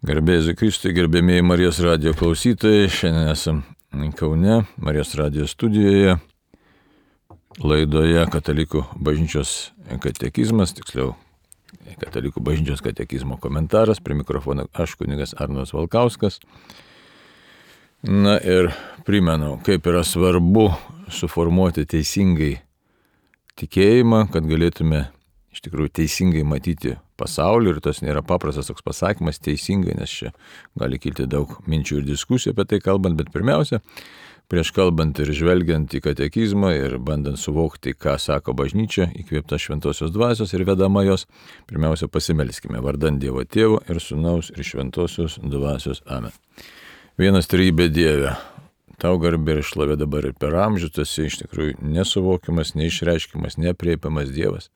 Garbėsiu Kristui, gerbėmėjai Marijos radijo klausytojai. Šiandien esam Kaune, Marijos radijo studijoje, laidoje Katalikų bažnyčios katekizmas, tiksliau Katalikų bažnyčios katekizmo komentaras. Prie mikrofono aš, kunigas Arnas Valkauskas. Na ir primenu, kaip yra svarbu suformuoti teisingai tikėjimą, kad galėtume iš tikrųjų teisingai matyti pasaulį. Ir tas nėra paprastas toks pasakymas teisingai, nes čia gali kilti daug minčių ir diskusijų apie tai kalbant, bet pirmiausia, prieš kalbant ir žvelgiant į katekizmą ir bandant suvokti, ką sako bažnyčia, įkvėpta šventosios dvasios ir vedama jos, pirmiausia pasimelskime vardan Dievo Tėvo ir Sūnaus ir šventosios dvasios. Amen. Vienas trejybė Dieve, tau garbė ir šlovė dabar ir per amžius, tu esi iš tikrųjų nesuvokiamas, neišreiškiamas, nepriepiamas Dievas.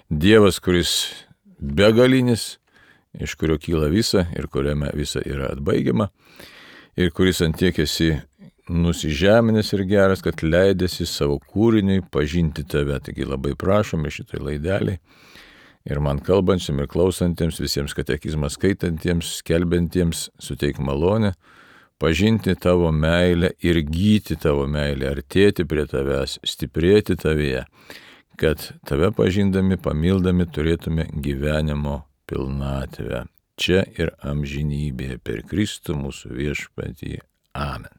Dievas, kuris begalinis, iš kurio kyla visa ir kuriame visa yra atbaigiama, ir kuris antiek esi nusižeminęs ir geras, kad leidėsi savo kūriniui pažinti tave. Taigi labai prašome šitoj laideliai ir man kalbančiam ir klausantiems, visiems katekizmą skaitantiems, skelbiantiems, suteik malonę pažinti tavo meilę ir gyti tavo meilę, artėti prie tavęs, stiprėti tavyje, kad tave pažindami, pamildami turėtume gyvenimo pilnatvę čia ir amžinybėje per Kristų mūsų viešpatį. Amen.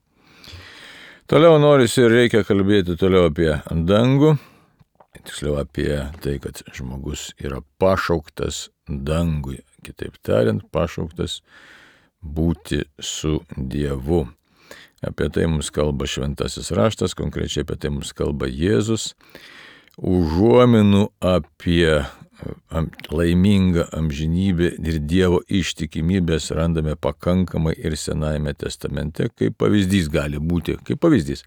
Toliau norisi ir reikia kalbėti toliau apie dangų, tiksliau apie tai, kad žmogus yra pašauktas dangui, kitaip tariant, pašauktas būti su Dievu. Apie tai mums kalba šventasis raštas, konkrečiai apie tai mums kalba Jėzus. Užuominų apie laimingą amžinybę ir Dievo ištikimybės randame pakankamai ir Senajame testamente, kaip pavyzdys gali būti, kaip pavyzdys.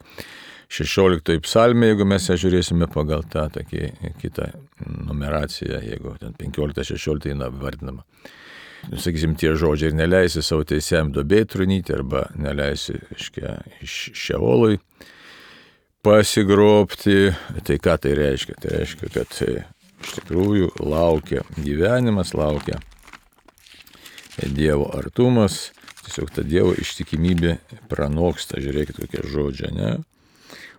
16 psalmė, jeigu mes ją žiūrėsime pagal tą kitą numeraciją, jeigu ten 15-16 vardinama. Sakysim, tie žodžiai ir neleisi savo teisėjam duobėj trunyti arba neleisi iš Šeolui pasigrobti. Tai ką tai reiškia? Tai reiškia, kad iš tikrųjų laukia gyvenimas, laukia Dievo artumas, tiesiog ta Dievo ištikimybė pranoksta. Žiūrėkit, kokie žodžiai, ne?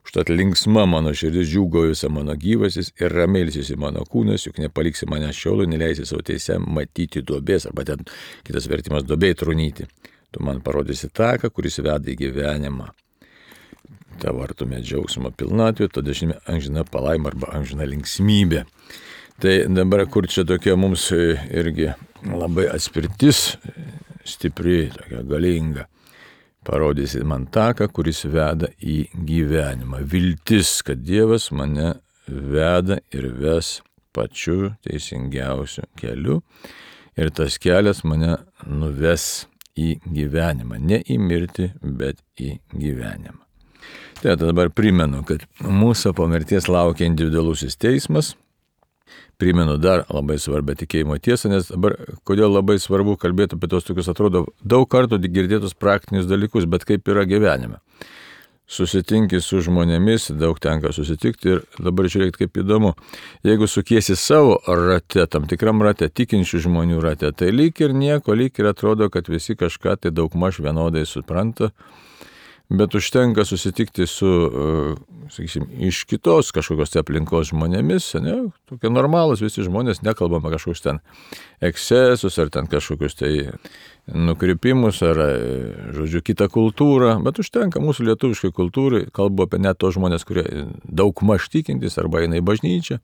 Užtat linksma mano širdis, džiūgaujusi mano gyvasis ir ramiai ilsisi mano kūnas, juk nepaliksi mane Šeolui, neleisi savo teisėm matyti duobės, arba ten kitas vertimas duobėj trunyti. Tu man parodysi taką, kuris veda į gyvenimą. Tavo artume džiaugsmo pilnatvė, tada žinome amžina palaima arba amžina linksmybė. Tai dabar, kur čia tokia mums irgi labai atspirtis, stipri, tokia galinga, parodysi man taką, kuris veda į gyvenimą. Viltis, kad Dievas mane veda ir ves pačiu teisingiausiu keliu ir tas kelias mane nuves į gyvenimą. Ne į mirtį, bet į gyvenimą. Tai dabar primenu, kad mūsų po mirties laukia individualusis teismas. Primenu dar labai svarbią tikėjimo tiesą, nes dabar kodėl labai svarbu kalbėti apie tos tokius, atrodo, daug kartų girdėtus praktinius dalykus, bet kaip yra gyvenime. Susitinki su žmonėmis, daug tenka susitikti ir dabar žiūrėkit, kaip įdomu. Jeigu sukiesi savo rate, tam tikram rate, tikinčių žmonių rate, tai lyg ir nieko, lyg ir atrodo, kad visi kažką tai daugmaž vienodai supranta. Bet užtenka susitikti su, sakysim, iš kitos kažkokios aplinkos žmonėmis, ne? Tokie normalūs visi žmonės, nekalbama kažkokius ten ekscesus ar ten kažkokius tai nukrypimus ar, žodžiu, kitą kultūrą, bet užtenka mūsų lietuviškai kultūrai, kalbu apie net tos žmonės, kurie daugmaž tikintys arba eina į bažnyčią.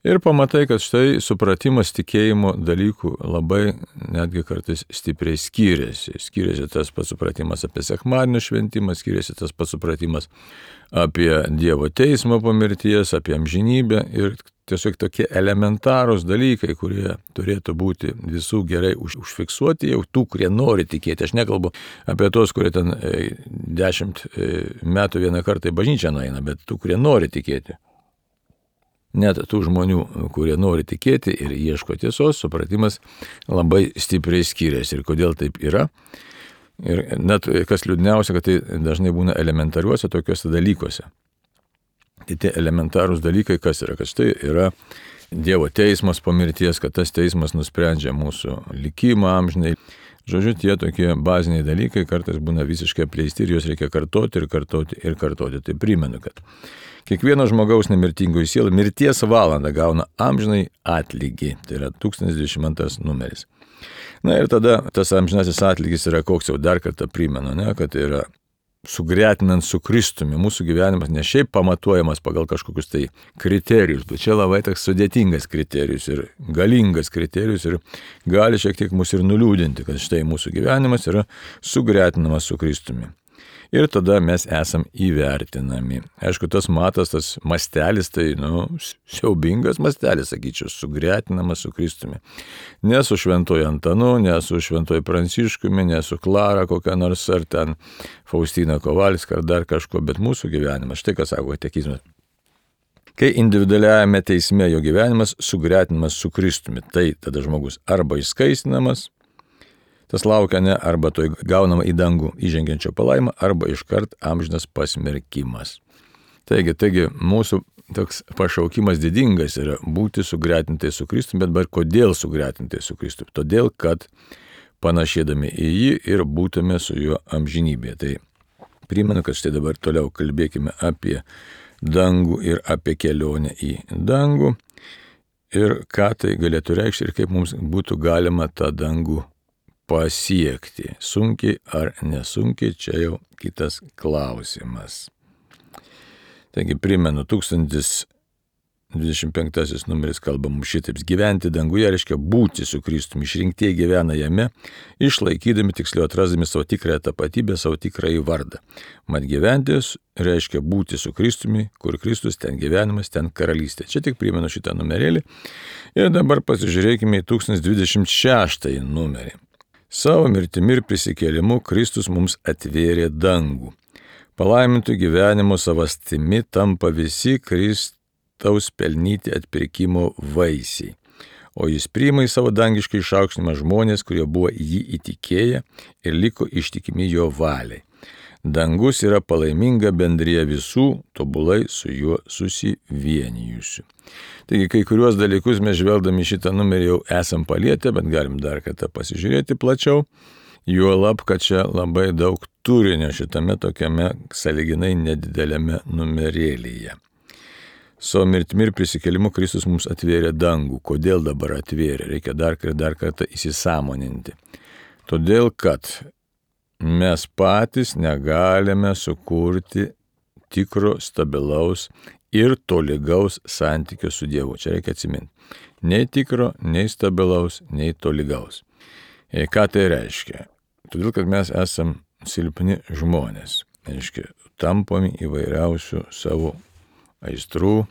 Ir pamatai, kad štai supratimas tikėjimo dalykų labai netgi kartais stipriai skiriasi. Skiriasi tas pats supratimas apie sekmadienio šventimą, skiriasi tas pats supratimas apie Dievo teismą po mirties, apie amžinybę ir tiesiog tokie elementarūs dalykai, kurie turėtų būti visų gerai užfiksuoti, jau tų, kurie nori tikėti. Aš nekalbu apie tos, kurie ten 10 metų vieną kartą į bažnyčią nueina, bet tų, kurie nori tikėti. Net tų žmonių, kurie nori tikėti ir ieško tiesos, supratimas labai stipriai skiriasi. Ir kodėl taip yra? Ir net kas liūdniausia, kad tai dažnai būna elementariuose tokiuose dalykuose. Tai tie elementarūs dalykai, kas yra? Kad štai yra Dievo teismas po mirties, kad tas teismas nusprendžia mūsų likimą amžinai. Žodžiu, tie tokie baziniai dalykai kartais būna visiškai apleisti ir juos reikia kartoti ir kartoti ir kartoti. Tai primenu, kad kiekvieno žmogaus nemirtingoji siela mirties valandą gauna amžinai atlygį. Tai yra 1022 numeris. Na ir tada tas amžinasis atlygis yra koks, jau dar kartą primenu, kad tai yra sugretinant su Kristumi. Mūsų gyvenimas ne šiaip pamatuojamas pagal kažkokius tai kriterijus, bet čia labai toks sudėtingas kriterijus ir galingas kriterijus ir gali šiek tiek mus ir nuliūdinti, kad štai mūsų gyvenimas yra sugretinamas su Kristumi. Ir tada mes esam įvertinami. Aišku, tas matas, tas mastelis, tai, siaubingas mastelis, sakyčiau, sugretinamas su Kristumi. Ne su šventoju Antanu, ne su šventoju Pranciškumi, ne su Klara kokia nors, ar ten Faustina Kovalska, ar dar kažko, bet mūsų gyvenimas, štai ką sako katekizmas. Kai individualiajame teisme jo gyvenimas sugretinamas su Kristumi, tai tada žmogus arba išskaistinamas, tas laukia arba to gaunama į dangų įžengiančio palaimą, arba iškart amžinas pasmerkimas. Taigi mūsų toks pašaukimas didingas yra būti sugretintai su Kristumi, bet kodėl sugretintai su Kristumi? Todėl, kad panašėdami į jį ir būtume su juo amžinybėje. Tai primenu, kad štai dabar toliau kalbėkime apie dangų ir apie kelionę į dangų ir ką tai galėtų reikšti ir kaip mums būtų galima tą dangų pasiekti. Sunkiai ar nesunkiai, čia jau kitas klausimas. Taigi primenu, 1025 numeris kalba mums šitaip. Gyventi danguje reiškia būti su Kristumi. Išrinktieji gyvena jame, išlaikydami, tiksliau atrasdami savo tikrąją tapatybę, savo tikrąjį vardą. Mat gyventi reiškia būti su Kristumi, kur Kristus, ten gyvenimas, ten karalystė. Čia tik primenu šitą numerėlį. Ir dabar pasižiūrėkime į 1026 numerį. Savo mirtimi ir prisikėlimu Kristus mums atvėrė dangų. Palaimintų gyvenimo savastimi tampa visi Kristaus pelnyti atpirkimo vaisiai. O jis priima į savo dangišką išaukštinimą žmonės, kurie buvo jį įtikėję ir liko ištikimi jo valiai. Dangus yra palaiminga bendrija visų, tobulai su juo susivienijusių. Taigi kai kuriuos dalykus mes žvelgdami šitą numerį jau esam palietę, bet galim dar kartą pasižiūrėti plačiau. Juolab, kad čia labai daug turinio šitame tokiame sąlyginai nedidelėme numerėlyje. Savo mirtimi ir prisikėlimu Kristus mums atvėrė dangų. Kodėl dabar atvėrė? Reikia dar kartą įsisąmoninti. Todėl, kad mes patys negalime sukurti tikro, stabilaus ir tolygaus santykio su Dievu. Čia reikia atsiminti. Nei tikro, nei stabilaus, nei tolygaus. Ką tai reiškia? Todėl, kad mes esam silpni žmonės. Reiškia, tampami įvairiausių savo aistrų,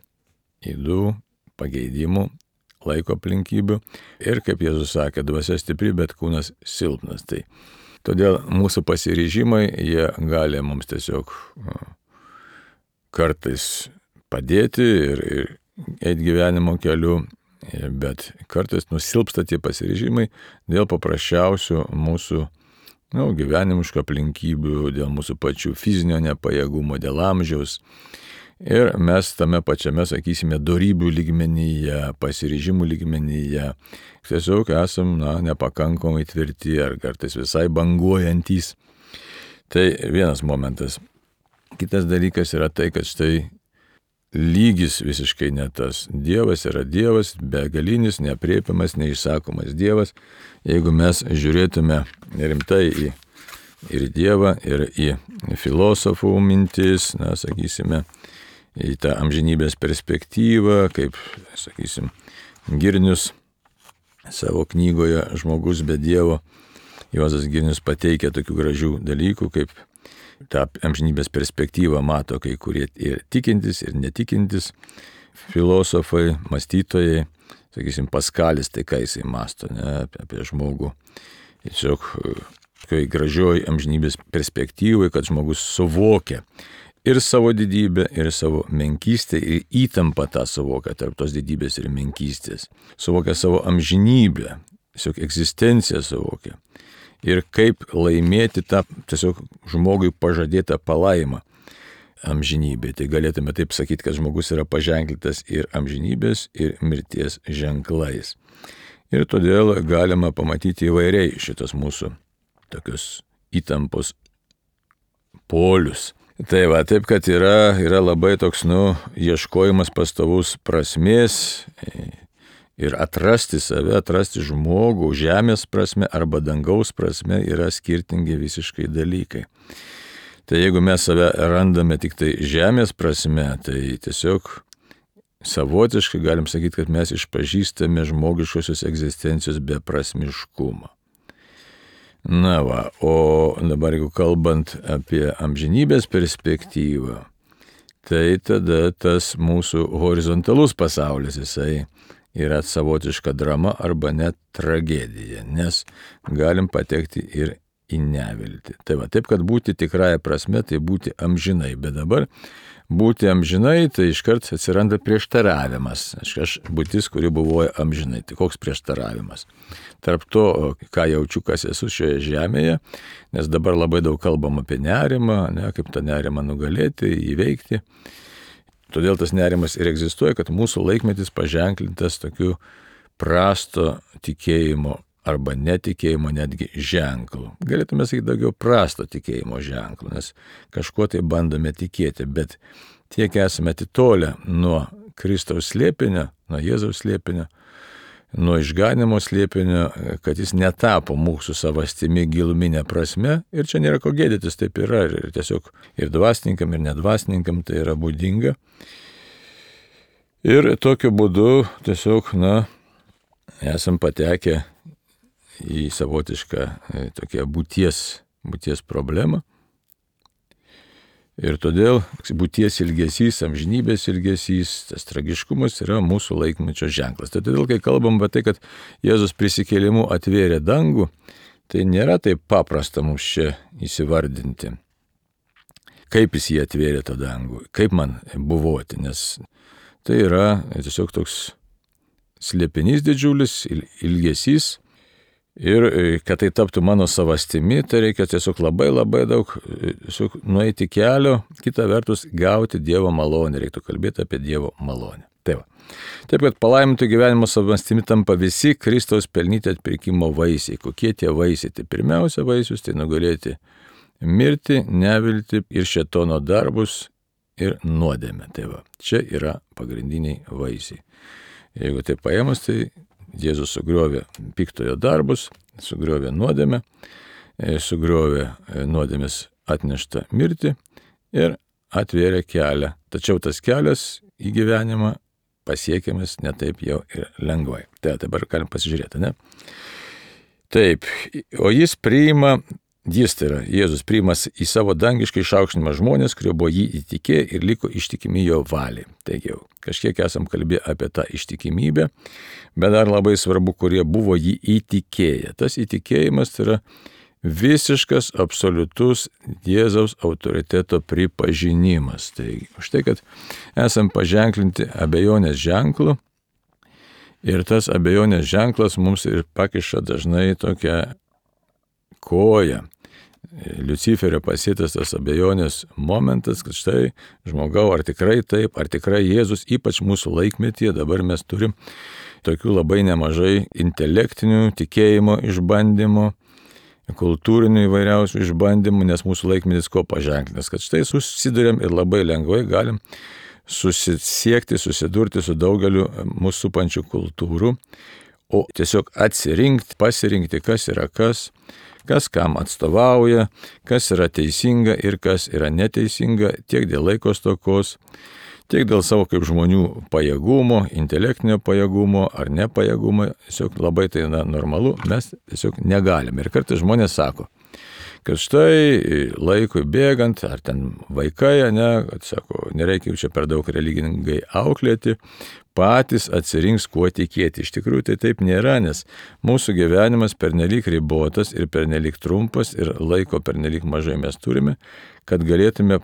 ydų, pageidimų, laiko aplinkybių. Ir kaip Jėzus sakė, dvasia stipri, bet kūnas silpnas. Tai todėl mūsų pasiryžimai, jie gali mums tiesiog kartais padėti ir eiti gyvenimo keliu, bet kartais nusilpsta tie pasiryžimai dėl paprasčiausių mūsų gyvenimiškų aplinkybių, dėl mūsų pačių fizinio nepajėgumo, dėl amžiaus. Ir mes tame pačiame, sakysime, dorybių lygmenyje, pasiryžimų lygmenyje tiesiog esam nepakankamai tvirti ar kartais visai banguojantys. Tai vienas momentas. Kitas dalykas yra tai, kad štai lygis visiškai ne tas. Dievas yra Dievas, begalinis, neaprėpiamas, neišsakomas Dievas. Jeigu mes žiūrėtume rimtai ir Dievą, ir į filosofų mintis, sakysime, į tą amžinybės perspektyvą, kaip, sakysim, Girnius savo knygoje Žmogus be Dievo, Juozas Girnius pateikia tokių gražių dalykų, kaip tą amžinybės perspektyvą mato kai kurie ir tikintis, ir netikintis filosofai, mąstytojai, sakysim, Paskalis, tai ką jisai masto apie žmogų. Tiesiog kai gražioj amžinybės perspektyvai, kad žmogus suvokia ir savo didybę, ir savo menkystę, ir įtampą tą suvokia tarp tos didybės ir menkystės. Suvokia savo amžinybę, tiesiog egzistenciją suvokia. Ir kaip laimėti tą tiesiog žmogui pažadėtą palaimą amžinybė. Tai galėtume taip sakyti, kad žmogus yra paženklintas ir amžinybės, ir mirties ženklais. Ir todėl galima pamatyti įvairiai šitas mūsų tokius įtampos polius. Tai va, taip, kad yra labai toks, ieškojimas pastovus prasmės ir atrasti save, atrasti žmogų, žemės prasme arba dangaus prasme yra skirtingi visiškai dalykai. Tai jeigu mes save randame tik tai žemės prasme, tai tiesiog savotiškai galim sakyti, kad mes išpažįstame žmogiškosios egzistencijos beprasmiškumą. Na va, o dabar jeigu kalbant apie amžinybės perspektyvą, tai tada tas mūsų horizontalus pasaulis, jisai yra savotiška drama arba net tragedija, nes galim patekti ir į neviltį. Tai va, taip, kad būti tikrąja prasme, tai būti amžinai, bet dabar būti amžinai, tai iškart atsiranda prieštaravimas. Aš būtis, kuri buvoja amžinai. Tai koks prieštaravimas? Tarp to, ką jaučiu, kas esu šioje žemėje, nes dabar labai daug kalbam apie nerimą, kaip tą nerimą nugalėti, įveikti. Todėl tas nerimas ir egzistuoja, kad mūsų laikmetis paženklintas tokiu prasto tikėjimo arba netikėjimo netgi ženklų. Galėtume sakyti daugiau prasto tikėjimo ženklų, nes kažkuo tai bandome tikėti, bet tiek esame atitolę nuo Kristaus slėpinio, nuo Jėzaus slėpinio, nuo išganimo slėpinio, kad jis netapo mūsų savastimi giluminė prasme ir čia nėra ko gėdytis, taip yra ir tiesiog ir dvasininkam, ir nedvasininkam tai yra būdinga. Ir tokiu būdu tiesiog, esam patekę į savotišką tokią būties problemą. Ir todėl būties ilgesys, amžinybės ilgesys, tas tragiškumas yra mūsų laikmečio ženklas. Tai todėl, kai kalbam apie tai, kad Jėzus prisikėlimu atvėrė dangų, tai nėra taip paprasta mums čia įsivardinti, kaip jis jį atvėrė tą dangų, kaip man buvoti, nes tai yra tiesiog toks slėpinys didžiulis, ilgesys. Ir kad tai taptų mano savastimi, tai reikia tiesiog labai daug nueiti kelio, kita vertus gauti Dievo malonę, reiktų kalbėti apie Dievo malonę. Taip, kad palaimintų gyvenimo savastimi tampa visi Kristaus pelnyti atpirkimo vaisiai. Kokie tie vaisiai? Tai pirmiausia vaisius, tai nugalėti mirtį, neviltį ir šėtono darbus ir nuodėmę. Tai va, čia yra pagrindiniai vaisiai. Jeigu tai paėmus, tai Jėzus sugriovė piktojo darbus, sugriovė nuodėmę, sugriovė nuodėmės atneštą mirtį ir atvėrė kelią. Tačiau tas kelias į gyvenimą pasiekiamas ne taip jau ir lengvai. Tai dabar galim pasižiūrėti, ne? Taip, o Jėzus priima į savo dangišką išaukštinimą žmonės, kurie buvo jį įtikėję ir liko ištikimi jo valiai. Taigi jau kažkiek esam kalbėję apie tą ištikimybę, bet dar labai svarbu, kurie buvo jį įtikėję. Tas įtikėjimas tai yra visiškas, absoliutus Jėzaus autoriteto pripažinimas. Tai už tai, kad esam paženklinti abejonės ženklu ir tas abejonės ženklas mums ir pakiša dažnai tokią koją. Liuciferio pasėtas tas abejonės momentas, kad štai žmogau, ar tikrai taip, ar tikrai Jėzus, ypač mūsų laikmetyje, dabar mes turim tokių labai nemažai intelektinių tikėjimo išbandymų, kultūrinių įvairiausių išbandymų, nes mūsų laikmetis ko paženklinas, kad štai susidurėm ir labai lengvai galim susidurti su daugeliu mūsų supančių kultūrų, o tiesiog pasirinkti, kas yra kas kam atstovauja, kas yra teisinga ir kas yra neteisinga, tiek dėl laiko stokos, tiek dėl savo kaip žmonių pajėgumo, intelektinio pajėgumo ar nepajėgumo, tiesiog labai tai normalu, mes tiesiog negalime. Ir kartais žmonės sako, kad štai laikui bėgant, ar ten vaikai, kad sako, nereikia čia per daug religingai auklėti, patys atsirinks, kuo tikėti. Iš tikrųjų tai taip nėra, nes mūsų gyvenimas pernelyg ribotas ir pernelyg trumpas ir laiko pernelyg mažai mes turime, kad galėtume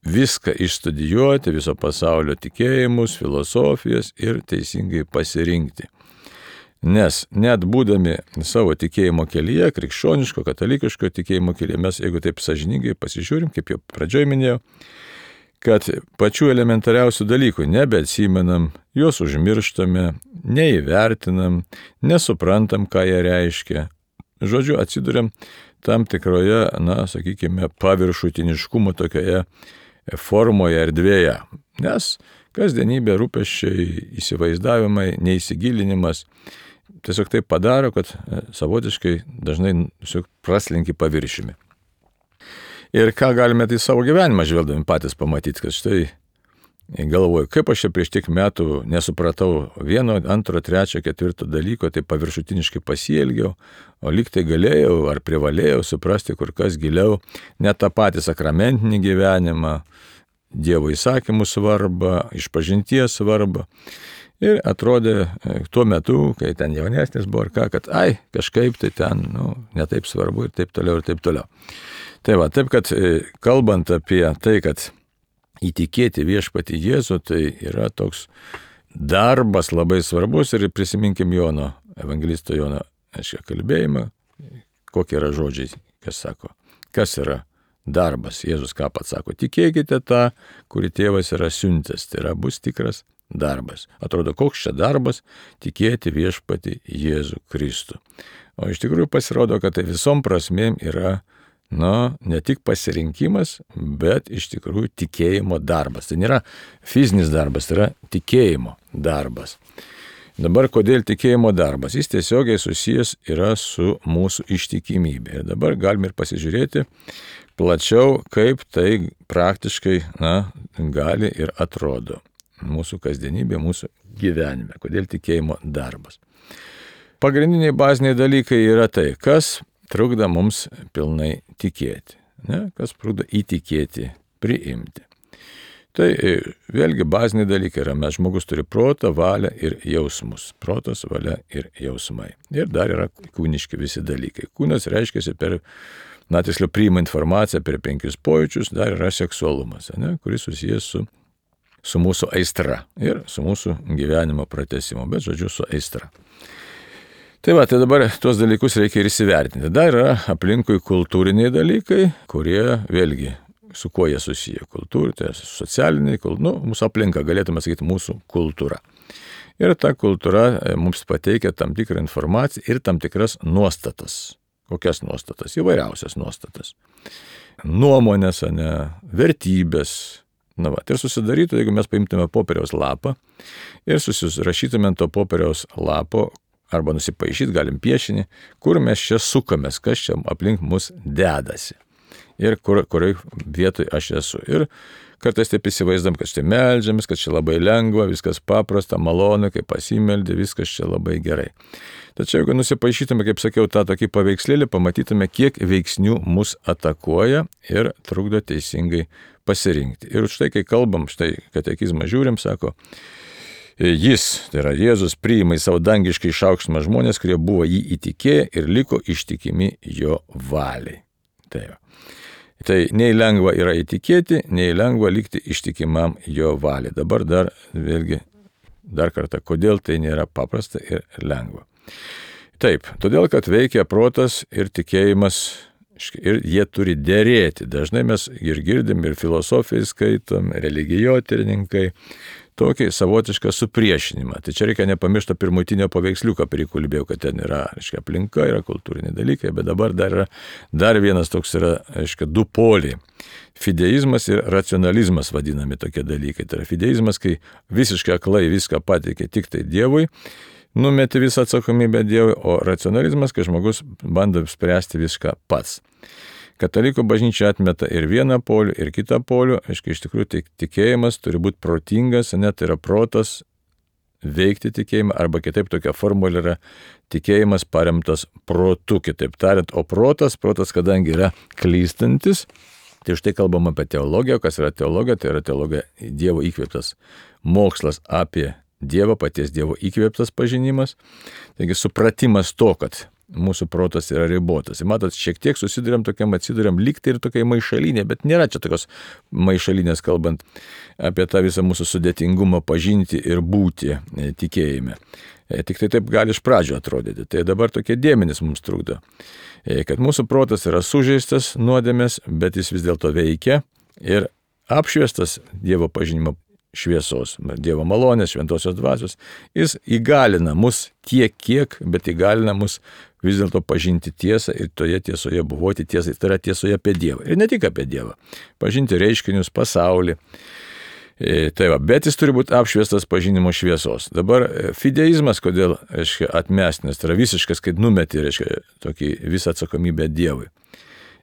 viską išstudijuoti, viso pasaulio tikėjimus, filosofijas ir teisingai pasirinkti. Nes net būdami savo tikėjimo kelyje, krikščioniško, katalikiško tikėjimo kelyje, mes, jeigu taip sąžiningai pasižiūrim, kaip jau pradžioj minėjau, kad pačių elementariausių dalykų nebeatsimenam, juos užmirštame, neįvertinam, nesuprantam, ką jie reiškia. žodžiu, atsiduriam tam tikroje, sakykime, paviršutiniškumo tokioje formoje, erdvėje. Nes kasdienybė, rūpesčiai, įsivaizdavimai, neįsigilinimas tiesiog taip padaro, kad savotiškai dažnai tiesiog praslinki paviršiumi. Ir ką galime tai savo gyvenimą žvelgdami patys pamatyti, kad štai galvoju, kaip aš čia prieš tiek metų nesupratau 1, 2, 3, 4 dalyko, tai paviršutiniškai pasielgiau, o lyg tai galėjau ar privalėjau suprasti kur kas giliau net tą patį sakramentinį gyvenimą, Dievo įsakymų svarbą, išpažinties svarbą. Ir atrodė tuo metu, kai ten jaunesnis buvo, kad kažkaip tai ten, netaip svarbu ir taip toliau ir taip toliau. Tai va, taip kad kalbant apie tai, kad įtikėti viešpatį Jėzų, tai yra toks darbas labai svarbus ir prisiminkim Jono, evangelisto Jono, kalbėjimą, kokie yra žodžiai, kas sako, kas yra darbas. Jėzus ką pats sako, tikėkite tą, kurį tėvas yra siuntęs, tai yra bus tikras darbas. Atrodo, koks čia darbas tikėti viešpatį Jėzų Kristų. O iš tikrųjų pasirodo, kad tai visom prasmėm yra ne tik pasirinkimas, bet iš tikrųjų tikėjimo darbas. Tai nėra fizinis darbas, tai yra tikėjimo darbas. Dabar kodėl tikėjimo darbas? Jis tiesiogiai susijęs yra su mūsų ištikimybė. Ir dabar galime ir pasižiūrėti plačiau, kaip tai praktiškai gali ir atrodo mūsų kasdienybė, mūsų gyvenime. Kodėl tikėjimo darbas? Pagrindiniai baziniai dalykai yra tai, kas trukdo mums pilnai tikėti, kas trukdo įtikėti, priimti. Tai vėlgi baziniai dalykai yra, žmogus turi protą, valią ir jausmus. Protas, valia ir jausmai. Ir dar yra kūniški visi dalykai. Kūnas reiškiasi tiksliau priima informaciją per 5 pojūčius, dar yra seksualumas, kuris susijęs su mūsų aistra ir su mūsų gyvenimo pratęsimu, bet žodžiu su aistra. Tai dabar tuos dalykus reikia ir įsivertinti. Dar yra aplinkui kultūriniai dalykai, kurie vėlgi su kuo jie susiję. Kultūra, tai socialiniai, mūsų aplinka, galėtume sakyti, mūsų kultūra. Ir ta kultūra mums pateikia tam tikrą informaciją ir tam tikras nuostatas. Kokias nuostatas? Įvairiausias nuostatas. Nuomonės, vertybės. Ir susidarytų, jeigu mes paimtume popieriaus lapą ir susirašytume to popieriaus lapo, arba nusipaišyti galim piešinį, kur mes čia sukamės, kas čia aplink mus dedasi. Ir kurioj vietoj aš esu. Ir kartais taip įsivaizdam, kad štai meldžiamės, kad čia labai lengva, viskas paprasta, malonu, kai pasimeldė, viskas čia labai gerai. Tačiau jeigu nusipaišytume, kaip sakiau, tą tokį paveikslėlį, pamatytume, kiek veiksnių mus atakuoja ir trukdo teisingai pasirinkti. Ir štai, kai kalbam, štai katekizmą žiūrim, sako, jis, tai yra Jėzus, priima į savo dangiškai išaukštinimą žmonės, kurie buvo jį įtikėję ir liko ištikimi jo valiai. Tai nei lengva yra įtikėti, nei lengva likti ištikimam jo valiai. Dabar dar kartą, kodėl tai nėra paprasta ir lengva. Taip, todėl, kad veikia protas ir tikėjimas ir jie turi derėti. Dažnai mes ir girdim, ir filosofijai skaitom, religijotyrininkai, tokį savotišką supriešinimą. Tai čia reikia nepamiršti pirmutinio paveiksliuką, kurį kalbėjau, kad ten yra, aplinka, yra kultūriniai dalykai, bet dabar dar vienas toks yra, 2 poliai. Fideizmas ir racionalizmas vadinami tokie dalykai. Tai yra fideizmas, kai visiškai aklai viską pateikia tik tai Dievui, numeti visą atsakomybę Dievui, o racionalizmas, kai žmogus bando spręsti viską pats. Katalikų bažnyčia atmeta ir vieną polių, ir kitą polių. Iš tikrųjų, tikėjimas turi būti protingas, tai yra protas veikti tikėjimą, arba kitaip tokia formulė yra tikėjimas paremtas protu, kitaip tariant, o protas, kadangi yra klystantis, tai už tai kalbam apie teologiją. Kas yra teologija? Tai yra teologija Dievo įkvėptas mokslas apie Dievą, paties Dievo įkvėptas pažinimas. Taigi supratimas to, kad mūsų protas yra ribotas. Ir matot, šiek tiek atsiduriam lygtai ir tokiai maišalinė, bet nėra čia tokios maišalinės, kalbant apie tą visą mūsų sudėtingumą pažinti ir būti tikėjime. Tik tai taip gali iš pradžio atrodyti. Tai dabar tokie dėmenys mums trukdo. Kad mūsų protas yra sužeistas nuodėmės, bet jis vis dėlto veikia ir apšviestas Dievo pažinimo šviesos, Dievo malonės, šventosios dvasios. Jis įgalina mus tiek, kiek, bet įgalina mus vis dėlto pažinti tiesą ir toje tiesoje buvoti tiesai. Tai yra tiesoje apie Dievą. Ir ne tik apie Dievą. Pažinti reiškinius, pasaulį. Tai va, bet jis turi būti apšviestas pažinimo šviesos. Dabar fideizmas, kodėl, reiškia, atmestinas, tai yra visiškas, kai numeti, reiškia, tokį visą atsakomybę Dievui.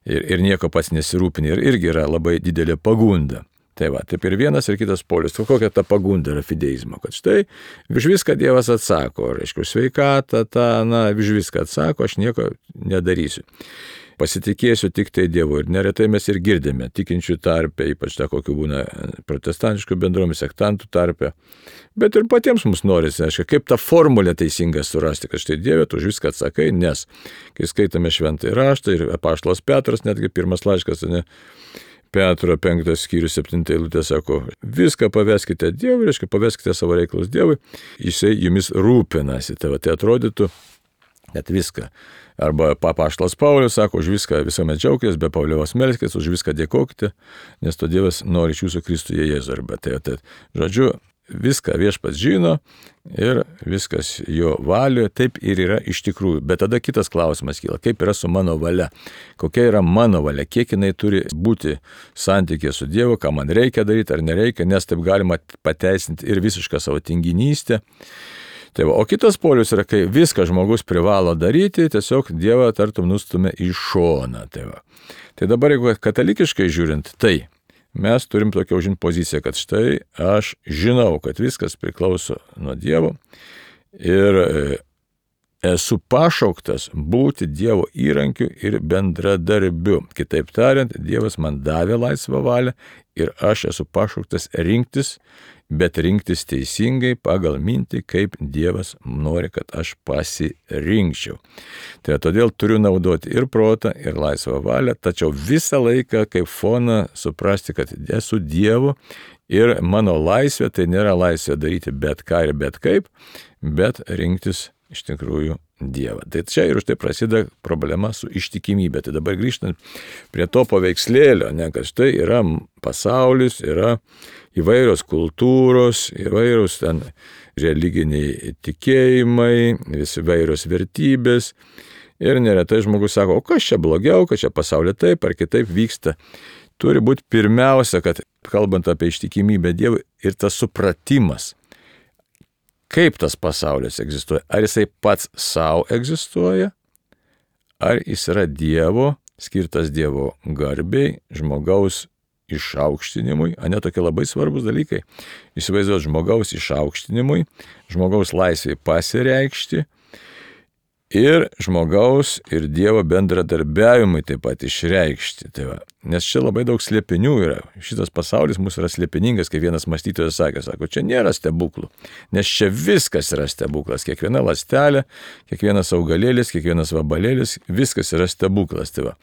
Ir nieko pats nesirūpini. Ir irgi yra labai didelė pagunda. Tai va, taip ir vienas ir kitas polius. Kokia ta pagunda yra fideizmo, kad štai už viską Dievas atsako, reiškia, sveikatą, už viską atsako, aš nieko nedarysiu. Pasitikėsiu tik tai Dievu. Ir neretai mes ir girdime tikinčių tarpe, ypač tą, kokiu būna protestantiškų bendruomenių, sektantų tarpe. Bet ir patiems mums norisi, aišku, kaip tą formulę teisingą surasti, kad štai Dieve, tu už viską atsakai, nes kai skaitome šventąjį raštą ir apaštalas Petras, netgi pirmas laiškas, Petro 5 skyrius 7 eilutė sako, viską paveskite Dievui, reiškia, paveskite savo reikalus Dievui, jisai jumis rūpinasi. Tai atrodytų, kad viską. Arba apaštalas Paulius sako, už viską visuomet džiaukitės, be paliovos melskitės, už viską dėkokite, nes to Dievas nori iš jūsų Kristuje Jėzuje. Arba tai, žodžiu, viską viešpats žino ir viskas jo valioje, taip ir yra iš tikrųjų. Bet tada kitas klausimas kyla, kaip yra su mano valia, kokia yra mano valia, kiek jinai turi būti santykė su Dievu, ką man reikia daryti ar nereikia, nes taip galima pateisinti ir visišką savo tinginystę. Tai va, o kitas polius yra, kai viską žmogus privalo daryti, tiesiog Dievą tartum nustumia į šoną. Tai dabar, jeigu katalikiškai žiūrint, tai mes turim tokią užimti poziciją, kad štai aš žinau, kad viskas priklauso nuo Dievo ir esu pašauktas būti Dievo įrankiu ir bendradarbiu. Kitaip tariant, Dievas man davė laisvą valią ir aš esu pašauktas rinktis, bet rinktis teisingai pagal mintį, kaip Dievas nori, kad aš pasirinkčiau. Tai todėl turiu naudoti ir protą, ir laisvą valią, tačiau visą laiką kaip foną suprasti, kad esu Dievu ir mano laisvė tai nėra laisvė daryti bet ką ir bet kaip, bet rinktis iš tikrųjų Dievą. Tai čia ir už tai prasideda problema su ištikimybė. Tai dabar grįžtant prie to paveikslėlio, kad štai yra pasaulis, yra įvairios kultūros, įvairios ten religiniai tikėjimai, įvairios vertybės. Ir neretai žmogus sako, o kas čia blogiau, kad čia pasaulyje taip ar kitaip vyksta. Turi būti pirmiausia, kad kalbant apie ištikimybę Dievui ir tas supratimas, kaip tas pasaulis egzistuoja. Ar jisai pats savo egzistuoja, ar jis yra Dievo, skirtas Dievo garbei, žmogaus išaukštinimui, tokie labai svarbus dalykai. Įsivaizduoti žmogaus išaukštinimui, žmogaus laisvai pasireikšti ir žmogaus ir Dievo bendradarbiavimui taip pat išreikšti. Tai va. Nes čia labai daug slėpinių yra. Šitas pasaulis mūsų yra slėpiningas, kaip vienas mąstytojas sako, čia nėra stebuklų, nes čia viskas yra stebuklas. Kiekviena ląstelė, kiekvienas augalėlis, kiekvienas vabalėlis, viskas yra stebuklas. Tai va.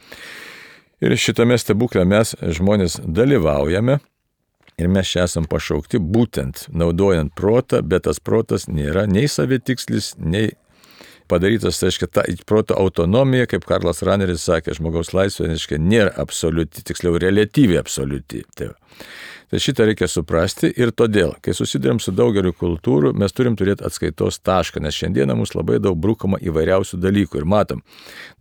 Ir šitame stebuklė mes žmonės dalyvaujame ir mes čia esam pašaukti būtent naudojant protą, bet tas protas nėra nei savitikslis, nei padarytas, tai reiškia, ta proto autonomija, kaip Karlas Raneris sakė, žmogaus laisvė, reiškia, nėra absoliuti, tiksliau reliatyviai absoliuti. Tai šitą reikia suprasti ir todėl, kai susidurėm su daugeliu kultūrų, mes turim turėti atskaitos tašką, nes šiandieną mums labai daug brukama įvairiausių dalykų ir matom,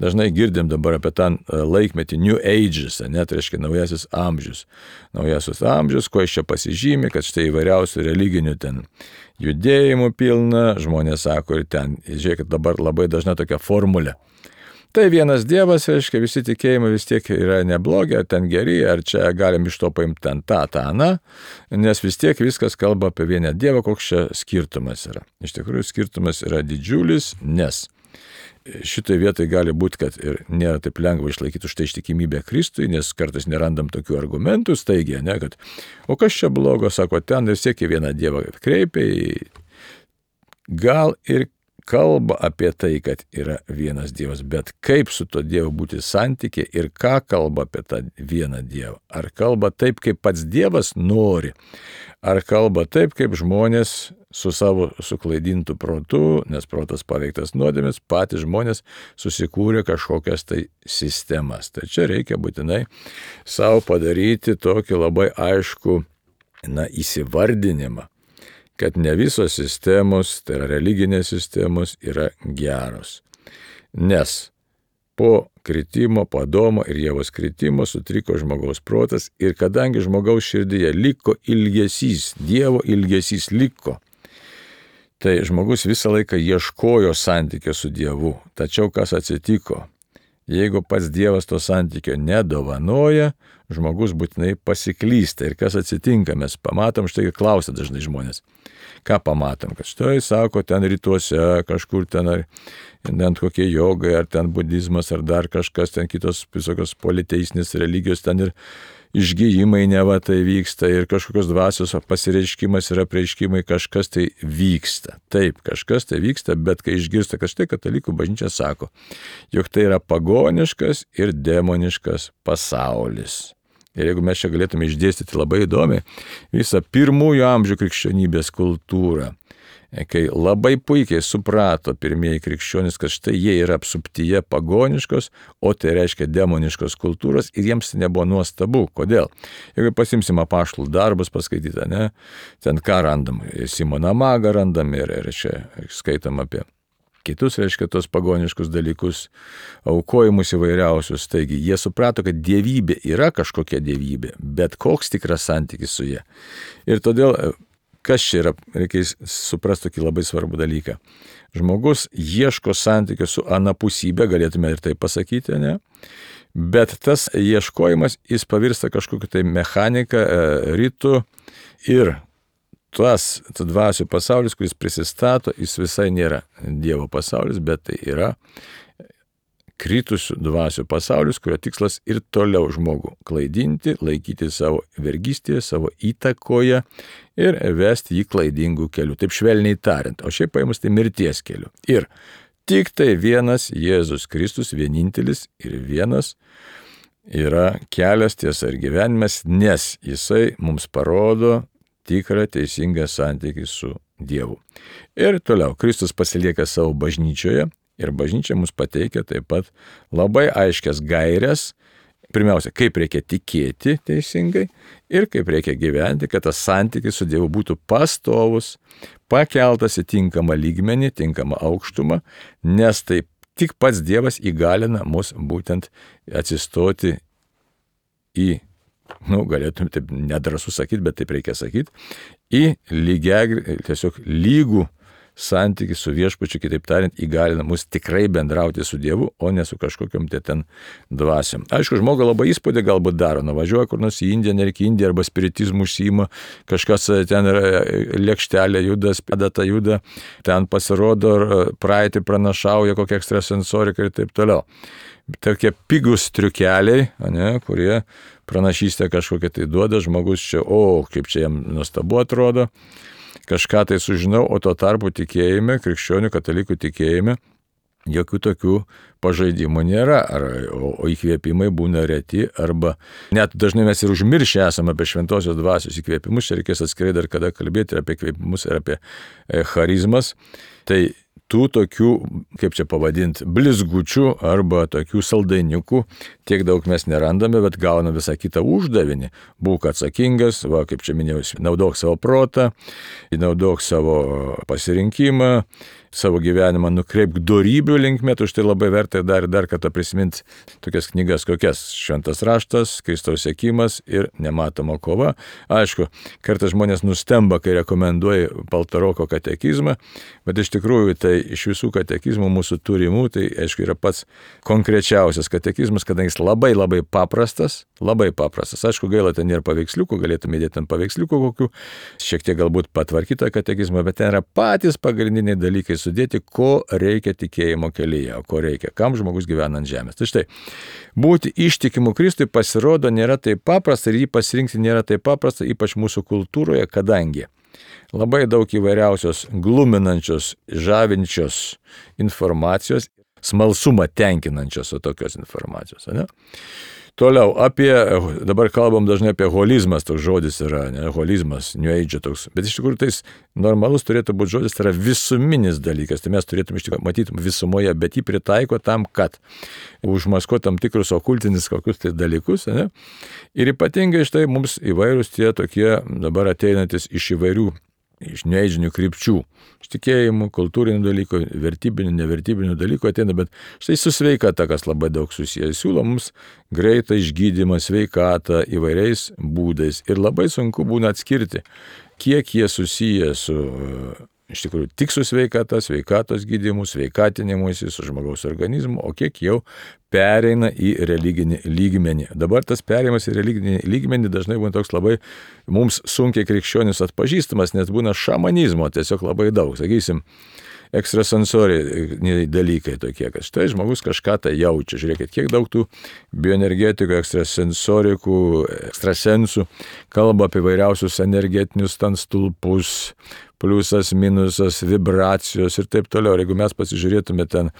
dažnai girdim dabar apie tą laikmetį New Ages, tai reiškia naujasis amžius. Naujasis amžius, ko iš čia pasižymi, kad štai įvairiausių religinių ten judėjimų pilna, žmonės sako ir ten, žiūrėkit, dabar labai dažna tokia formulė. Tai vienas Dievas, reiškia, visi tikėjimai vis tiek yra neblogi, ar ten geri, ar čia galim iš to paimti ten tą, nes vis tiek viskas kalba apie vieną Dievą, koks čia skirtumas yra. Iš tikrųjų, skirtumas yra didžiulis, nes šitoje vietoje gali būti, kad ir nėra taip lengva išlaikyti už tai ištikimybę Kristui, nes kartais nerandam tokių argumentų staigiai, kad o kas čia blogo, sako, ten vis tiek į vieną Dievą kreipia, gal ir kalba apie tai, kad yra vienas Dievas, bet kaip su to Dievu būti santykė ir ką kalba apie tą vieną Dievą. Ar kalba taip, kaip pats Dievas nori, ar kalba taip, kaip žmonės su savo suklaidintų protu, nes protas paveiktas nuodėmės, patys žmonės susikūrė kažkokias tai sistemas. Tai čia reikia būtinai savo padaryti tokį labai aišku įsivardinimą, kad ne visos sistemos, tai yra religinės sistemos, yra geros. Nes po kritimo, po Adomo ir Ievos kritimo sutriko žmogaus protas ir kadangi žmogaus širdyje liko ilgesys, Dievo ilgesys liko, tai žmogus visą laiką ieškojo santykio su Dievu. Tačiau kas atsitiko? Jeigu pats Dievas to santykio nedovanoja, žmogus būtinai pasiklysta. Ir kas atsitinka? Mes pamatom, štai klausia dažnai žmonės. Ką pamatom? Kad štai, sako, ten rytuose, kažkur ten, ar kokie jogai, ar ten budizmas, ar dar kažkas, ten kitos visokios politeistinės religijos, ten ir išgijimai neva tai vyksta, ir kažkokios dvasios pasireiškimas ir apreiškimai, kažkas tai vyksta. Taip, kažkas tai vyksta, bet kai išgirsta, kad štai katalikų bažnyčia sako, jog tai yra pagoniškas ir demoniškas pasaulis. Ir jeigu mes čia galėtume išdėstyti labai įdomiai visą pirmųjų amžių krikščionybės kultūrą, kai labai puikiai suprato pirmieji krikščionys, kad štai jie yra apsuptyje pagoniškos, o tai reiškia demoniškos kultūros, ir jiems nebuvo nuostabu. Kodėl? Jeigu pasimsim apaštalų darbus paskaityti, ne, ten ką randam, Simoną Magą randam ir čia skaitam apie kitus, reiškia, tos pagoniškus dalykus, aukojimus įvairiausius. Taigi, jie suprato, kad dievybė yra kažkokia dievybė, bet koks tikras santykis su ja. Ir todėl, kas čia yra, reikia suprasti tokį labai svarbų dalyką. Žmogus ieško santykio su anapusybė, galėtume ir tai pasakyti, ne? Bet tas ieškojimas, jis pavirsta kažkokiu tai mechaniką, ritu, ir tas dvasių pasaulis, kuris prisistato, jis visai nėra Dievo pasaulis, bet tai yra kritusių dvasių pasaulis, kurio tikslas ir toliau žmogų klaidinti, laikyti savo vergystėje, savo įtakoje ir vesti jį klaidingų kelių. Taip švelniai tariant, o šiaip paėmus tai mirties keliu. Ir tik tai vienas Jėzus Kristus, vienintelis ir vienas, yra kelias, tiesa ir gyvenimas, nes jisai mums parodo tikrą teisingą santykį su Dievu. Ir toliau, Kristus pasilieka savo bažnyčioje ir bažnyčia mums pateikia taip pat labai aiškias gairias, pirmiausia, kaip reikia tikėti teisingai ir kaip reikia gyventi, kad tas santykis su Dievu būtų pastovus, pakeltas į tinkamą lygmenį, tinkamą aukštumą, nes taip tik pats Dievas įgalina mus būtent atsistoti į, galėtume taip nedrąsu sakyti, bet taip reikia sakyti, į tiesiog lygų santykį su viešpačiu, kitaip tariant, įgalina mus tikrai bendrauti su Dievu, o ne su kažkokiam ten dvasiom. Aišku, žmogui labai įspūdį galbūt daro, nuvažiuoja kur nors į Indiją, nereikia Indiją, arba spiritizmų užsiima, kažkas ten lėkštelė juda, spedata juda, ten pasirodo, praeitį pranašauja, kokia ekstrasensorika ir taip toliau. Tokie pigus triukeliai, kurie pranašystę kažkokią tai duoda, žmogus čia, kaip čia jam nuostabu atrodo, kažką tai sužinau, o tuo tarpu tikėjime, krikščionių katalikų tikėjime, jokių tokių pažaidimų nėra, o įkvėpimai būna reti, arba net dažnai mes ir užmiršę esame apie šventosios dvasios įkvėpimus, čia reikės atskirai dar kada kalbėti ir apie įkvėpimus ir apie charizmas. Tai tų tokių, kaip čia pavadinti, blizgučių arba tokių saldainiukų tiek daug mes nerandame, bet gauname visą kitą uždavinį. Būk atsakingas, kaip čia minėjau, naudok savo protą, naudok savo pasirinkimą, savo gyvenimą nukreipk dorybių linkme, už tai labai verta dar kartą prisiminti tokias knygas, kokias Šventas raštas, Kristaus sekimas ir Nematoma kova. Aišku, kartais žmonės nustemba, kai rekomenduoja Paltaroko katekizmą, bet iš tikrųjų tai iš visų katekizmų mūsų turimų, tai aišku yra pats konkrečiausias katekizmas, kadangi jis labai labai paprastas. Aišku, gaila, ten nėra paveiksliukų, galėtume įdėti ten paveiksliukų kokių, šiek tiek galbūt patvarkytą katekizmą, bet ten yra patys pagrindiniai dalykai sudėti, ko reikia tikėjimo kelyje, ko reikia, kam žmogus gyvena ant žemės. Tai štai, būti ištikimu Kristui pasirodo nėra taip paprasta ir jį pasirinkti nėra taip paprasta, ypač mūsų kultūroje, kadangi labai daug įvairiausios gluminančios, žavinčios informacijos smalsumą tenkinančios tokios informacijos. Ne? Toliau, dabar kalbam dažnai apie holizmas, toks žodis yra, ne, holizmas, New Age toks, bet iš tikrųjų tai normalus turėtų būti žodis, tai yra visuminis dalykas, tai mes turėtume iš tikrųjų matyti visumoje, bet jį pritaiko tam, kad užmaskuoti tam tikrus okultinis kokius tai dalykus, ne, ir ypatingai štai mums įvairūs tie tokie dabar ateinantis iš įvairių iš nežinių krypčių, iš tikėjimų, kultūrinių dalykų, vertybinių, nevertybinių dalykų ateina, bet štai su sveikata, kas labai daug susijęs, siūlo mums greitą išgydymą, sveikatą įvairiais būdais ir labai sunku būna atskirti, kiek jie susiję su iš tikrųjų tik su sveikata, sveikatos gydymu, sveikatinimuisi, su žmogaus organizmu, o kiek jau pereina į religinį lygmenį. Dabar tas perėjimas į religinį lygmenį dažnai būna toks labai mums sunkiai krikščionis atpažįstamas, nes būna šamanizmo tiesiog labai daug, sakysim, ekstrasensoriniai dalykai tokie, kad štai žmogus kažką tai jaučia. Žiūrėkit, kiek daug tų bioenergetikų, ekstrasensorikų, ekstrasensų kalba apie vairiausius energetinius ten stulpus, pliusas, minusas, vibracijos ir taip toliau. Ir jeigu mes pasižiūrėtume ten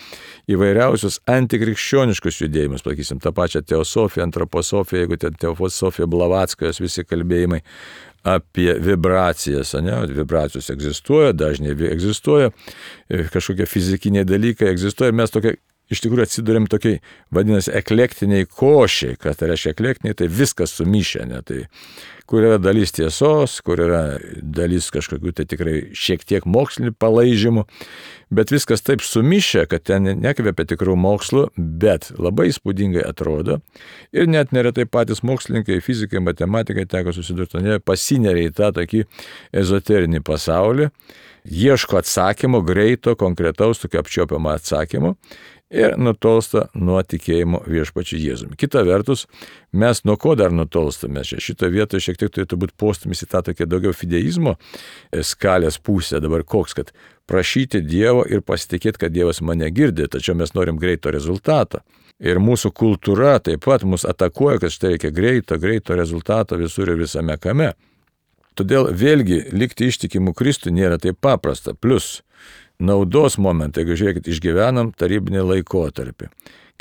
įvairiausius antikrikščioniškus judėjimus, sakysim, tą pačią teosofiją, antroposofiją, jeigu ten teosofija Blavatskas, visi kalbėjimai apie vibracijas, ne? Vibracijos egzistuoja, dažnai egzistuoja, kažkokie fizikiniai dalykai egzistuoja ir mes tokia iš tikrųjų atsidurėm tokiai, vadinasi, eklektiniai košiai, kad tai reiškia eklektiniai, tai viskas sumišę, ne? Tai kur yra dalis tiesos, kur yra dalis kažkokių tai tikrai šiek tiek mokslinių palaižymų, bet viskas taip sumišę, kad ten nekvepia tikrų mokslų, bet labai įspūdingai atrodo ir net neretai patys mokslininkai, fizikai, matematikai teko susidurti, pasineria į tą tokį ezoterinį pasaulį, ieško atsakymo, greito, konkretaus, tokio apčiuopiamo atsakymo ir nutolsta nuo tikėjimo viešpačiu Jėzumi. Kita vertus, mes nuo ko dar nutolstame? Šitoje vietoje šiek tiek turėtų būti postumis į tą tokią daugiau fideizmo skalės pusę. Dabar koks, kad prašyti Dievo ir pasitikėti, kad Dievas mane girdi, tačiau mes norim greito rezultato. Ir mūsų kultūra taip pat mus atakuoja, kad štai reikia greito rezultato visur ir visame kame. Todėl vėlgi likti ištikimų Kristui nėra taip paprasta. Plus naudos momentą, jeigu žiūrėkit, išgyvenam tarybinį laikotarpį.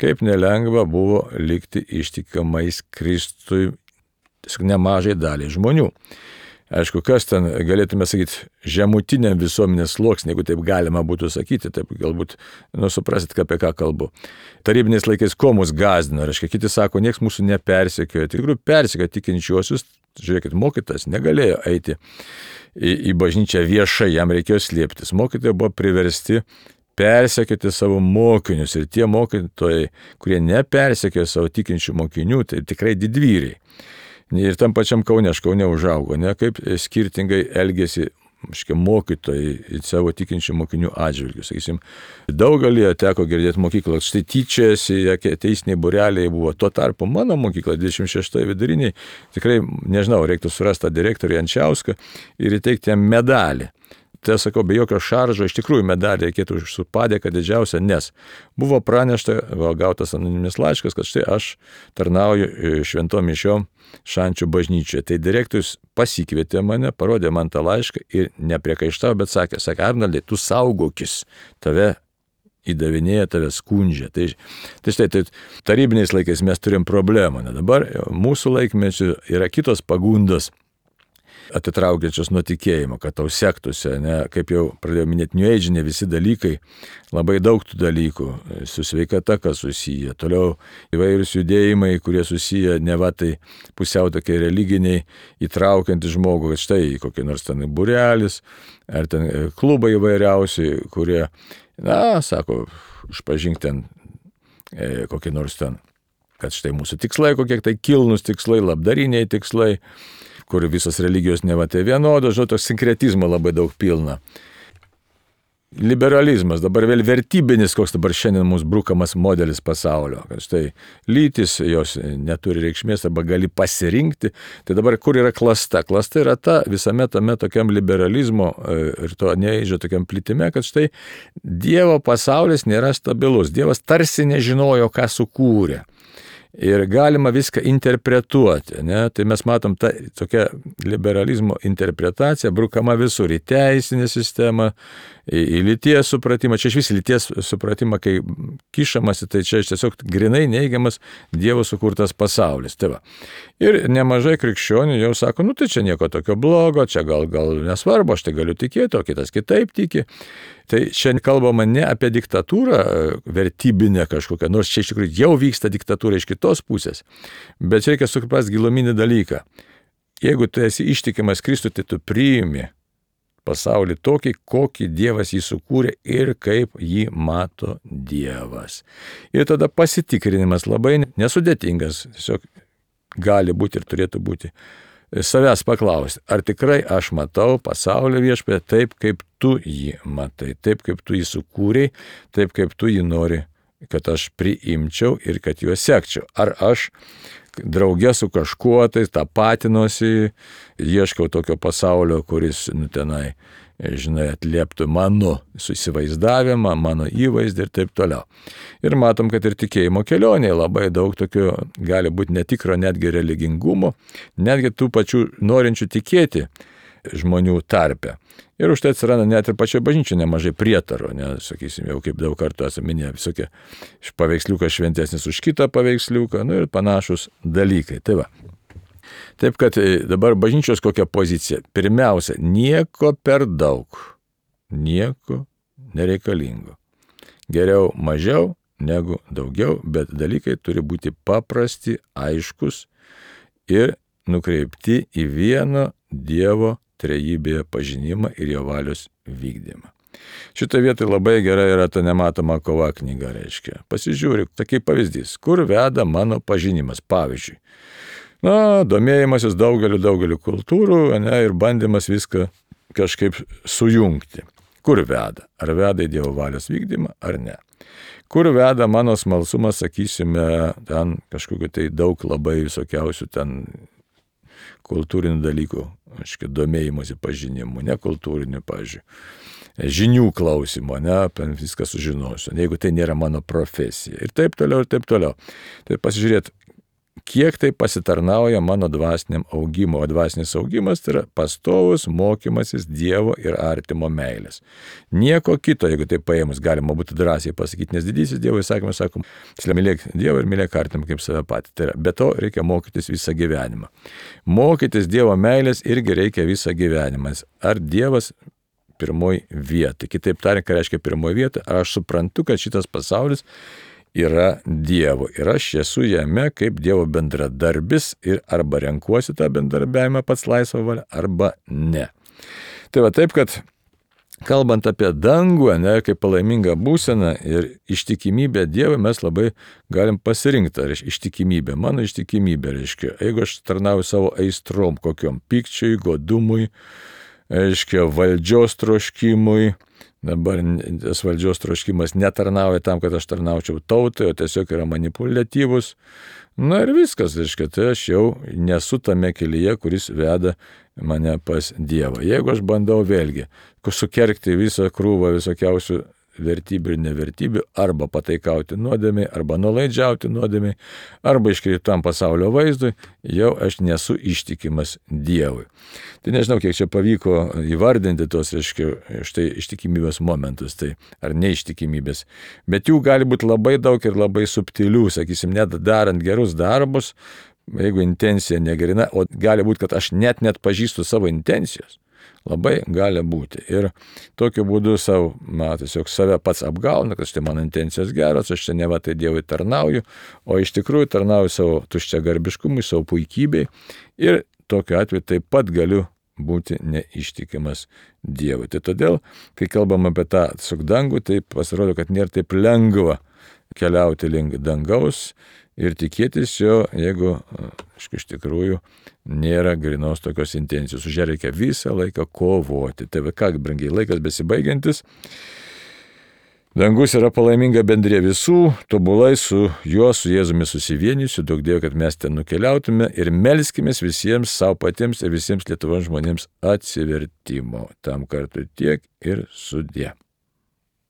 Kaip nelengva buvo likti ištikimais Kristui nemažai daliai žmonių. Aišku, kas ten, galėtume sakyti, žemutiniam visuomenės sluoksniui, jeigu taip galima būtų sakyti, taip galbūt, suprasit, apie ką kalbu. Tarybiniais laikais ko mus gąsdino, reiškia, kiti sako, nieks mūsų nepersekiojo, tikrųjų persekiojo tikinčiuosius, žiūrėkit, mokytas negalėjo eiti į bažnyčią viešai, jam reikėjo slėptis. Mokytojai buvo priversti persekioti savo mokinius ir tie mokytojai, kurie nepersekiojo savo tikinčių mokinių, tai tikrai didvyriai. Ir tam pačiam Kaune, aš Kaune užaugo, ne, kaip skirtingai elgėsi mokytojai savo tikinčių mokinių atžvilgių. Sakysim, daugelį teko girdėti mokyklą, štai tyčiasi, teisiniai būreliai buvo. Tuo tarpu mano mokykla, 26 viduriniai, tikrai, nežinau, reiktų surasti tą direktorių Jančiauską ir įteikti jam medalį. Tai sakau, be jokio šaržo, iš tikrųjų medalį reikėtų su padėka didžiausia, nes buvo pranešta, gautas anoniminis laiškas, kad štai aš tarnauju šventom mišiom Šančių bažnyčioje. Tai direktorius pasikvietė mane, parodė man tą laišką ir nepriekaištavo, bet sakė, Arnoldai, tu saugokis, tave įdavinėja, tave skundžia. Tai štai, tarybiniais laikais mes turim problemą. Dabar mūsų laikmečių yra kitos pagundos atitraukiančios nuo tikėjimo, kad tau sektųsi, ne, kaip jau pradėjau minėti, New Age, visi dalykai, labai daug tų dalykų, su sveikata, kas susiję, toliau įvairūs judėjimai, kurie susiję, ne va tai pusiau tokie religiniai, įtraukiantys žmogų, kad štai kokie nors ten būrelis, ar ten klubai įvairiausi, kurie, sako, išpažink ten kokie nors ten, kad štai mūsų tikslai, kokie tai kilnus tikslai, labdariniai tikslai, kur visos religijos neva tai vienodos, žodžiu, sinkretizmo labai daug pilna. Liberalizmas, dabar vėl vertybinis, koks dabar šiandien mūsų brukamas modelis pasaulio, kad štai lytis, jos neturi reikšmės arba gali pasirinkti, tai dabar kur yra klasta? Klasta yra ta visame tame tokiam liberalizmo ir to neįžio tokiam plitime, kad štai Dievo pasaulis nėra stabilus, Dievas tarsi nežinojo, ką sukūrė. Ir galima viską interpretuoti, ne? Tai mes matom tą tokią liberalizmo interpretaciją, brukama visur į teisinę sistemą, į lyties supratimą. Čia iš vis lyties supratimą, kai kišamasi, tai čia tiesiog grinai neigiamas Dievo sukurtas pasaulis. Tai va. Ir nemažai krikščionių jau sako, nu tai čia nieko tokio blogo, čia gal nesvarbu, aš tai galiu tikėti, o kitas kitaip tiki. Tai čia kalbama ne apie diktatūrą vertybinę kažkokią, nors čia iš tikrųjų jau vyksta diktatūra iš kitos pusės, bet čia reikia suprasti giluminį dalyką. Jeigu tu esi ištikimas Kristui, tai tu priimi pasaulį tokį, kokį Dievas jį sukūrė ir kaip jį mato Dievas. Ir tada pasitikrinimas labai nesudėtingas, tiesiog gali būti ir turėtų būti. Savęs paklausti, ar tikrai aš matau pasaulio Viešpatie taip, kaip tu jį matai, taip, kaip tu jį sukūrei, taip, kaip tu jį nori, kad aš priimčiau ir kad juo sekčiau. Ar aš drauge su kažkuo tai tapatinuosi, ieškau tokio pasaulio, kuris tenai, žinai, atlieptų mano įsivaizdavimą, mano įvaizdį ir taip toliau. Ir matom, kad ir tikėjimo kelionėje labai daug tokio gali būti netikro netgi religingumo, netgi tų pačių norinčių tikėti žmonių tarpe. Ir už tai atsiranda net ir pačioje bažnyčioje nemažai prietarų, nes, sakysim, jau kaip daug kartų esame minėję, visokie paveiksliukas šventesnis už kitą paveiksliuką, nu ir panašus dalykai. Tai va. Taip, kad dabar bažnyčios kokia pozicija? Pirmiausia, nieko per daug, nieko nereikalingo. Geriau mažiau negu daugiau, bet dalykai turi būti paprasti, aiškus ir nukreipti į vieno Dievo trejybėje pažinimą ir jo valios vykdymą. Šitą vietą labai gerai yra ta nematoma kova knyga, reiškia. Pasižiūrėk, tai kaip pavyzdys, kur veda mano pažinimas, pavyzdžiui. Domėjimasis daugeliu kultūrų, ir bandymas viską kažkaip sujungti. Kur veda? Ar veda į Dievo valios vykdymą, ar ne? Kur veda mano smalsumas, sakysime, ten kažkokiu tai daug labai visokiausių ten kultūrinių dalykų, aiškiai, domėjimosi pažinimu, ne kultūrinių, pavyzdžiui, žinių klausimo, apie viską sužinosiu, jeigu tai nėra mano profesija. Ir taip toliau, ir taip toliau. Tai pasižiūrėt, kiek tai pasitarnauja mano dvasiniam augimo, o dvasinis augimas tai yra pastovus mokymasis Dievo ir artimo meilės. Nieko kito, jeigu tai paėmus, galima būtų drąsiai pasakyti, nes didysis Dievo įsakymas, sakom, mylėk Dievą ir mylėk artimą kaip save patį. Tai yra, be to reikia mokytis visą gyvenimą. Mokytis Dievo meilės irgi reikia visą gyvenimą. Ar Dievas pirmoji vieta? Kitaip tariant, ką reiškia pirmoji vieta? Ar aš suprantu, kad šitas pasaulis yra Dievo ir aš esu jame kaip Dievo bendradarbis ir arba renkuosi tą bendradarbiavimą pats laisvą valią, arba ne. Tai va taip, kad kalbant apie dangų, kaip palaimingą būseną ir ištikimybę Dievui, mes labai galim pasirinkti ištikimybę. Mano ištikimybė reiškia, jeigu aš tarnauju savo aistrom, kokiom pykčiui, godumui, reiškia, valdžios troškimui. Dabar tas valdžios troškimas netarnauja tam, kad aš tarnaučiau tautai, o tiesiog yra manipuliatyvus. Na ir viskas, reiškia, tai aš jau nesu tame kelyje, kuris veda mane pas Dievą. Jeigu aš bandau vėlgi sukergti visą krūvą visokiausių vertybių ir nevertybių, arba pataikauti nuodėmiai, arba nuolaidžiauti nuodėmiai, arba iškreiptam pasaulio vaizdui, jau aš nesu ištikimas Dievui. Tai nežinau, kiek čia pavyko įvardinti tos, reiškia, štai ištikimybės momentus, tai ar neištikimybės. Bet jų gali būti labai daug ir labai subtilių, sakysim, net darant gerus darbus, jeigu intencija negerina, o gali būti, kad aš net pažįstu savo intencijos. Labai gali būti. Ir tokiu būdu tiesiog save pats apgauna, kad štai mano intencijos geros, aš čia neva tai Dievui tarnauju, o iš tikrųjų tarnauju savo tuščiagarbiškumui, savo puikybei. Ir tokiu atveju taip pat galiu būti neištikimas Dievui. Tai todėl, kai kalbam apie tą dangų, tai pasirodo, kad nėra taip lengva keliauti link dangaus ir tikėtis jo, jeigu iš tikrųjų nėra grinos tokios intencijos. Už ją reikia visą laiką kovoti. Tai ką, brangiai, laikas besibaigiantis. Dangus yra palaiminga bendrė visų, tobulai su juo, su Jėzumi susivienysiu, daug Dievo, kad mes ten nukeliautume ir melskimės visiems savo patiems ir visiems Lietuvos žmonėms atsivertimo. Tam kartui tiek ir sudie.